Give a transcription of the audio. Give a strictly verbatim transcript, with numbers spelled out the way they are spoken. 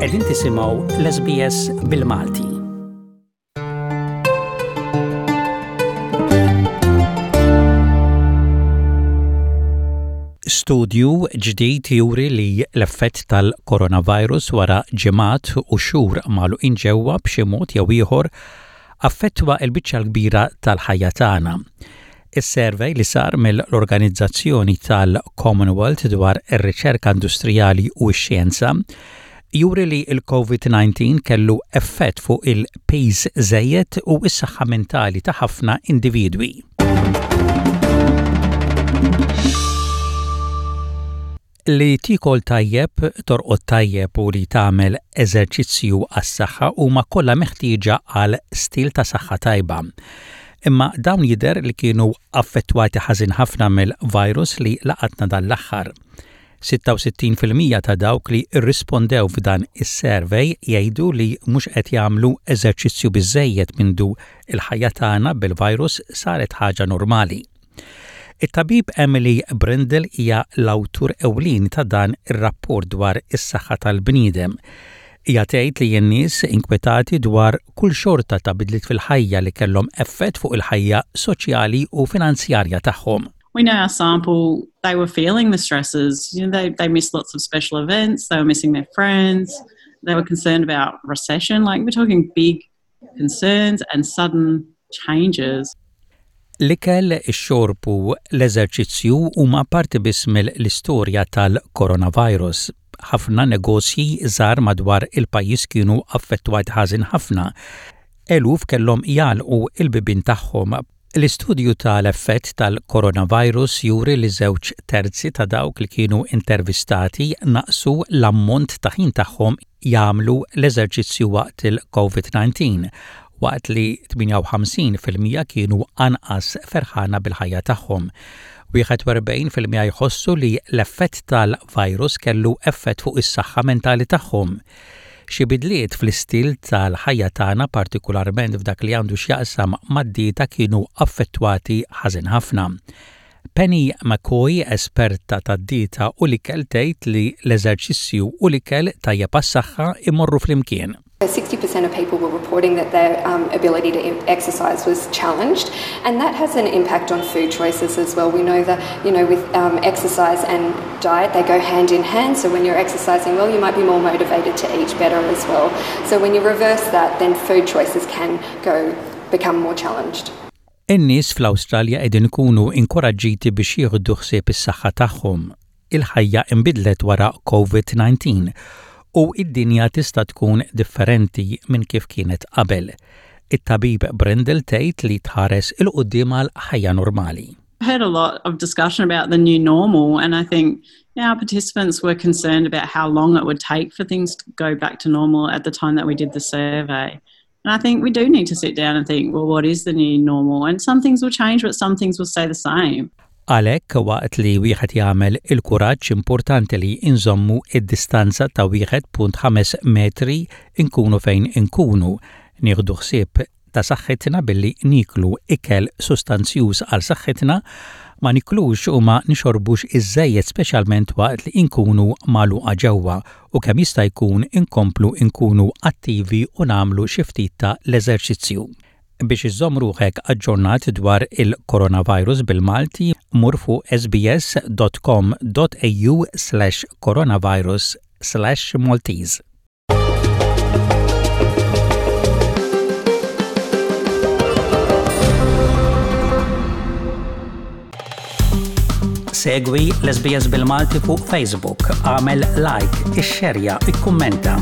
Qegħdin tisimgħu l-S B S bil-Malti. Studju ġdid juri li l-effett tal-coronavirus wara ġimgħat u xhur magħluqin ġewwa b'xi mod jew ieħor affettwa l-biċċa l-kbira tal-ħajja tagħna. Is-survey li sar mill-Organizzazzjoni tal-Commonwealth dwar ir-riċerka industrijali u x-xjenza juri li il-COVID nineteen kellu effett fuq il-piż żejjed u s-saħħa mentali ta' ħafna individwi. Li tikol tajjeb, torqod tajjeb u li tagħmel eżerċizzju għas-saħħa huma kollha meħtieġa għal stil ta' saħħa tajba. Imma dawn jidher li kienu affettwati ħażin ħafna mill-virus li laqatna dan l-aħħar. sitta u sittin fil-mija ta' dawk li rrispondew f'dan is-survey jgħidu li mhux qed jagħmlu eżerċizzju biżejjed mindu il-ħajja tagħna bil-virus saret ħaġa normali. It-tabib Emily Brindle hija l-awtur ewlieni ta' dan ir-rapport dwar is-saħħa tal-bniedem. Hija tgħid li n-nies inkwetati dwar kull xorta ta' bidliet fil-ħajja li kellhom effett fuq il-ħajja soċjali u finanzjarja tagħhom. We know our sample, they were feeling the stresses. You know, they, they missed lots of special events, they were missing their friends, they were concerned about recession. Like, we're talking big concerns and sudden changes. L-ikel, ix-xorb u l-eżerċizzju huma parti biss mill-istorja tal-coronavirus. Ħafna negozji żgħar madwar il-pajjiż kienu affettwati ħażin ħafna. Eluf kellhom jagħlqu il-bibien tagħhom. L-istudju tal-effett tal-coronavirus juri li żewġ terzi ta' dawk li kienu intervistati naqsu l-ammont ta' ħin tagħhom jagħmlu l-eżerċizzju waqt il-COVID nineteen, waqt li tmienja u ħamsin fil-mija kienu anqas ferħana bil-ħajja tagħhom. wieħed u erbgħin fil-mija jħossu li l-effett tal-virus kellu effett fuq is-saħħa mentali tagħhom. Xi bidliet fl-istil tal-ħajja tagħna, partikolarment f'dak li għandu x'jaqsam mad-dieta, kienu affettwati ħażin ħafna. Penny McCoy, esperta tad-dieta u l-ikel, tgħid li l-eżerċizzju u l-ikel tajjeb għas-saħħa imorru flimkien. sixty percent of people were reporting that their um, ability to exercise was challenged, and that has an impact on food choices as well. We know that, you know, with um, exercise and diet, they go hand in hand. So when you're exercising well, you might be more motivated to eat better as well. So when you reverse that, then food choices can go become more challenged. In-nies fl-Awstralja qegħdin ikunu inkoraġġiti biex jieħdu ħsieb is-saħħa tagħhom. Il-ħajja inbidlet wara COVID nineteen u id-dinja tista' tkun differenti minn kif kienet qabel. It-tabib Brindle tgħid li tħares 'il quddiem għal ħajja normali. I heard a lot of discussion about the new normal, and I think you know, our participants were concerned about how long it would take for things to go back to normal at the time that we did the survey. And I think we do need to sit down and think, well, what is the new normal? And some things will change, but some things will stay the same. Għalhekk, waqt li wieħed jagħmel il-kuraġġ, importanti li inżommu id-distanza ta' wieħed punt ħames metri inkunu fejn inkunu, nieħdu ħsieb ta' saħħitna billi niklu ikel sostanzjuż għal saħħitna, ma niklux u ma nixorbux iżżejjed, speċjalment waqt li inkunu magħluqa ġewwa, u kemm jista' jkun inkomplu inkunu attivi u nagħmlu xi ftit ta' l-eżerċizzju. Biex iżżomm ruħek aġġornat dwar il-coronavirus bil-Malti, mur fuq S B S dot com dot A U slash coronavirus slash Maltese. Segwi l-S B S bil-Malti fuq Facebook, għamel like, ixxerja, ikkummenta.